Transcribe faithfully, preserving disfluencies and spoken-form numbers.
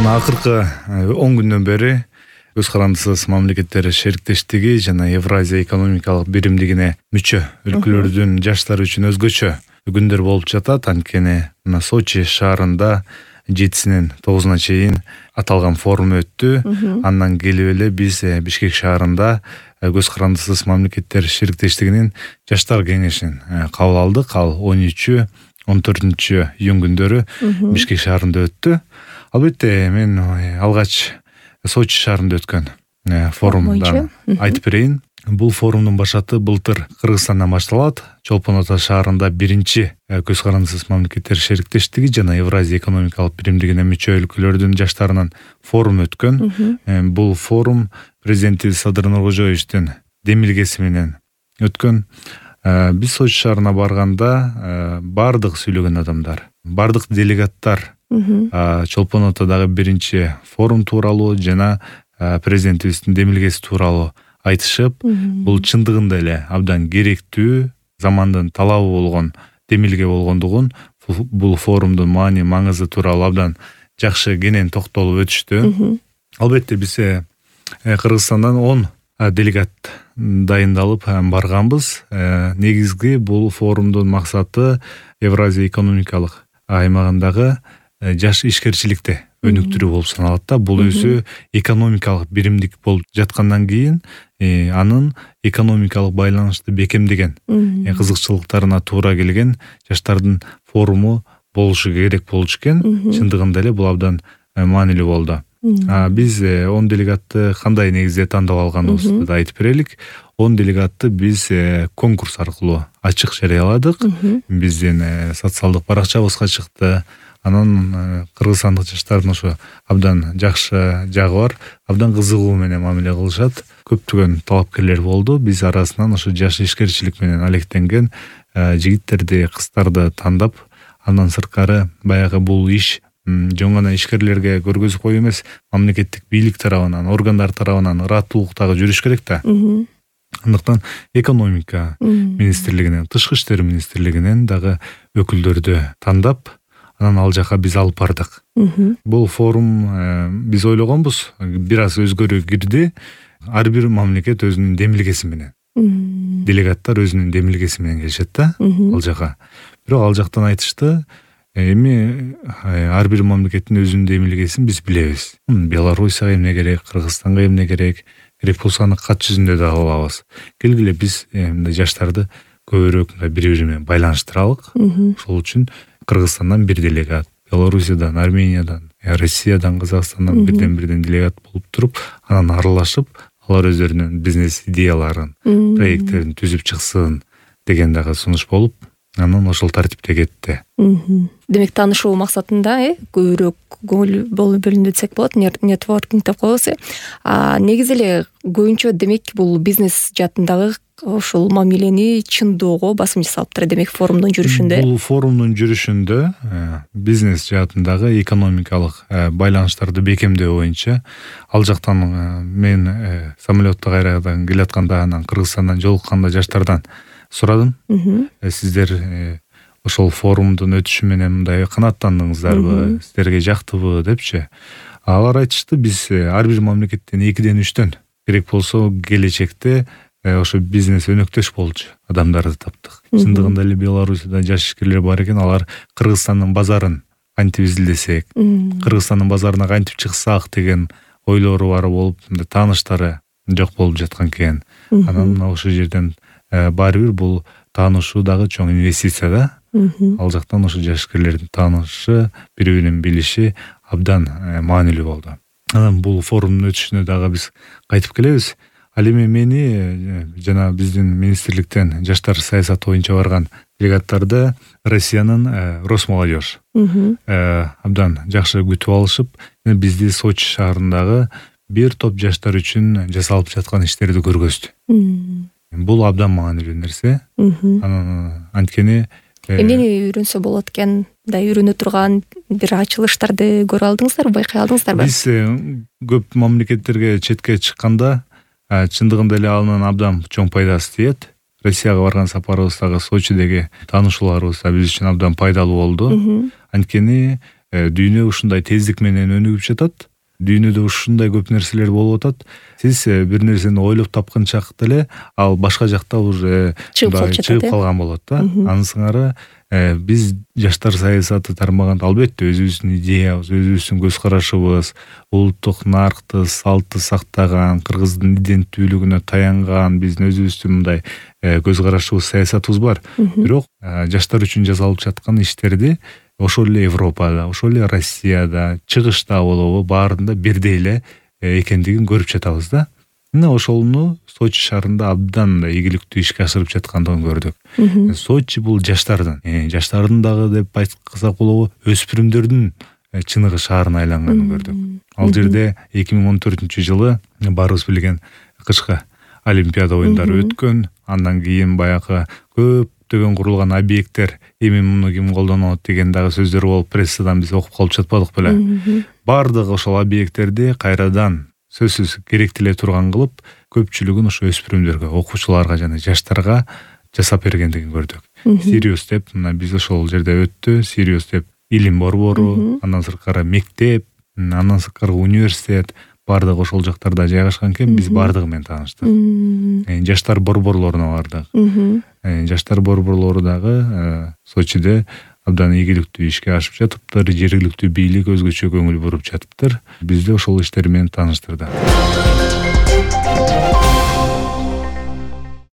Мына акыркы он күндөн бери Көз карандысыз мамлекеттер шериктештиги жана Евразия экономикалык биримдигине мүчө өлкөлөрдүн жаштары үчүн өзгөчө күндөр болуп жатат. Анткени мына Сочи шаарында жетисинен тогузуна чейин аталган форум өттү. Андан келип эле биз Бишкек шаарында Көз карандысыз мамлекеттер шериктештигинин жаштар кеңешин кабыл алдык. Ал он үчү он төртүнчү июнь күндөрү Бишкек шаарында өттү. Албетте мен алгач Сочи шаарында өткөн форумдан айтып берейин. Бул форумдун башаты былтыр Кыргызстандан башталат. Чолпон Ата шаарында биринчи Көз карандысыз мамлекеттер шериктештиги жана Евразия экономикалык биримдигине мүчө өлкөлөрдүн жаштарынын форум өткөн. Бул форум президенти Садыр Нуркожоевичтин демилгеси менен өткөн. Биз Сочи шаарына барганда бардык сүйлөгөн адамдар, бардык делегаттар Чолпон Атадагы биринчи форум тууралуу жана президентибиздин демилгеси тууралуу айтышып, бул чындыгында эле абдан керектүү, замандын талабы болгон демилге болгондугун, бул форумдун маани маңызы тууралуу абдан жакшы кенен токтолуп өтүштү. Албетте биз Кыргызстандан он делегат дайындалып барганбыз. Негизги бул форумдун максаты Евразия экономикалык аймагындагы жаш ишкерчиликти өнүктүрүү болуп саналат да. Бул өзү экономикалык биримдик болуп жаткандан кийин анын экономикалык байланышты бекемдеген кызыкчылыктарына туура келген жаштардын форуму болушу керек болчу экен. Чындыгында эле бул абдан маанилүү болду. Биз он делегатты кандай негизде тандап алганыбызды да айтып берелик. он делегатты биз конкурс аркылуу ачык жарыяладык. Биздин социалдык баракчабызга чыкты. Анан кыргызстандык жаштардын ошо абдан жакшы жагы бар, абдан кызыгуу менен мамиле кылышат. Көптөгөн талапкерлер болду. Биз арасынан ошо жаш ишкерчилик менен алектенген жигиттерди, кыздарды тандап, андан сырткары баягы бул иш жөн гана ишкерлерге көргөзүп коюу эмес, мамлекеттик бийлик тарабынан, органдар тарабынан ыраттуулуктагы жүрүш керек да. Андыктан экономика министрлигинен, тышкы иштер министрлигинен дагы өкүлдөрдү тандап, анан ал жака биз алып бардык. Бул форум биз ойлогонбуз, бир аз өзгөрүү кирди. Ар бир мамлекет өзүнүн демилгеси менен, делегаттар өзүнүн демилгеси менен келишет да ал жака. Бирок ал жактан айтышты, эми ар бир мамлекеттин өзүнүн демилгесин биз билебиз. Белоруссияга эмне керек, Кыргызстанга эмне керек, керек болсо аны кат жүзүндө да кылабыз. Келгиле биз жаштарды көбүрөөк бири-бири менен байланыштыралык. Ошол үчүн Кыргызстандан бир делегат, Белоруссиядан, Армениядан, Россиядан, Казакстандан бирден-бирден делегат болуп туруп, анан аралашып, алар өздөрүнүн бизнес идеяларын, проекттерин түзүп чыксын деген дагы сунуш болуп, анан ошол тартипте кетти. Демек таанышуу максатында көбүрөөк көңүл бөлүндү десек болот, нетворкинг деп коебуз. Негизи эле көбүнчө демек бул бизнес жаатындагы ошол мамилени чындоого басым жасалыптыр демек форумдун жүрүшүндө. Бул форумдун жүрүшүндө бизнес жаатындагы экономикалык байланыштарды бекемдөө боюнча ал жактан мен самолетто кайрадан келатканда, анан Кыргызстандан жолукканда жаштардан сурадым. Сиздер ошол форумдун өтүшү менен мындай канааттандыңыздарбы, сиздерге жактыбы депчи. Алар айтышты, биз ар бир мамлекеттен экиден үчтөн керек болсо келечекте ошо бизнес өнөктөш болчу адамдарды таптык. Чындыгында эле Белоруссияда жаш ишкерлер бар экен, алар Кыргызстандын базарын кантип изилдесек, Кыргызстандын базарына кантип чыксак деген ойлору бар болуп, тааныштары жок болуп жаткан экен. Анан ошол жерден баары бир бул таанышуу дагы чоң инвестиция да. Ал жактан ошо жаш ишкерлердин таанышы, бири-бирин билиши абдан маанилүү болду. Анан бул форумдун өтүшүнө дагы биз кайтып келебиз. Ал эми мени жана биздин министрликтен жаштар саясаты боюнча барган делегаттарды Россиянын Росмолодежь абдан жакшы күтүп алышып, бизди Сочи шаарындагы бир топ жаштар үчүн жасалып жаткан иштерди көргөздү. Бул абдан маанилүү нерсе. Анан анткени эмнени үйрөнсө болот экен, да үйрөнө турган бир ачылыштарды көрө алдыңыздарбы, байкай алдыңыздарбы? Биз көп мамлекеттерге четке чыкканда чындыгында эле анын абдан чоң пайдасы тиет. Россияга барган сапарыбыздагы Сочидеги таанышууларыбыз биз үчүн абдан пайдалуу болду. Анткени дүйнө ушундай тездик менен өнүгүп жатат, дүйнөдө ушундай көп нерселер болуп атат. Сиз бир нерсени ойлоп тапканчак деле ал башка жакта уже чыгып калган болот да. Анын сыңары биз жаштар саясаты тармагында албетте өзүбүздүн идеябыз, өзүбүздүн көз карашыбыз, улуттук наркты, салтты сактаган, кыргыздын иденттүүлүгүнө таянган биздин өзүбүздүн мындай көз карашыбыз, саясатыбыз бар. Бирок жаштар үчүн жасалып жаткан иштерди ошол эле Европада, ошол эле Россияда, чыгышта болобу баарында бирдей эле экендигин көрүп жатабыз да. Мына ошону Сочи шаарында абдан да ийгиликтүү ишке ашырып жаткандыгын көрдүк. Сочи бул жаштардын, жаштардын дагы деп айткансак болобу, өспүрүмдөрдүн чыныгы шаарына айланганын көрдүк. Ал жерде эки миң он төртүнчү жылы баарыбыз билген кышкы Олимпиада оюндары өткөн. Андан кийин баягы көптөгөн курулган объекттер, эми муну ким колдонот деген дагы сөздөр болуп, прессадан биз окуп калып жатпадык беле. Бардык ошол объекттерди кайрадан сөзсүз керектеле турган кылып, көпчүлүгүн ошо өспүрүмдөргө, окуучуларга жана жаштарга жасап бергендигин көрдүк. Сириус деп, мына биз ошол жерде өттү. Сириус деп илим борбору, андан сырткары мектеп, андан сырткары университет бардык ошол жактарда жайгашкан экен. Биз бардыгы менен тааныштык. Жаштар борборлоруна бардык. Жаштар борборлору дагы Сочиде абдан ийгиликтүү ишке ашып жатыптыр. Жергиликтүү бийлик өзгөчө көңүл буруп жатыптыр. Бизди ошол иштер менен тааныштырды.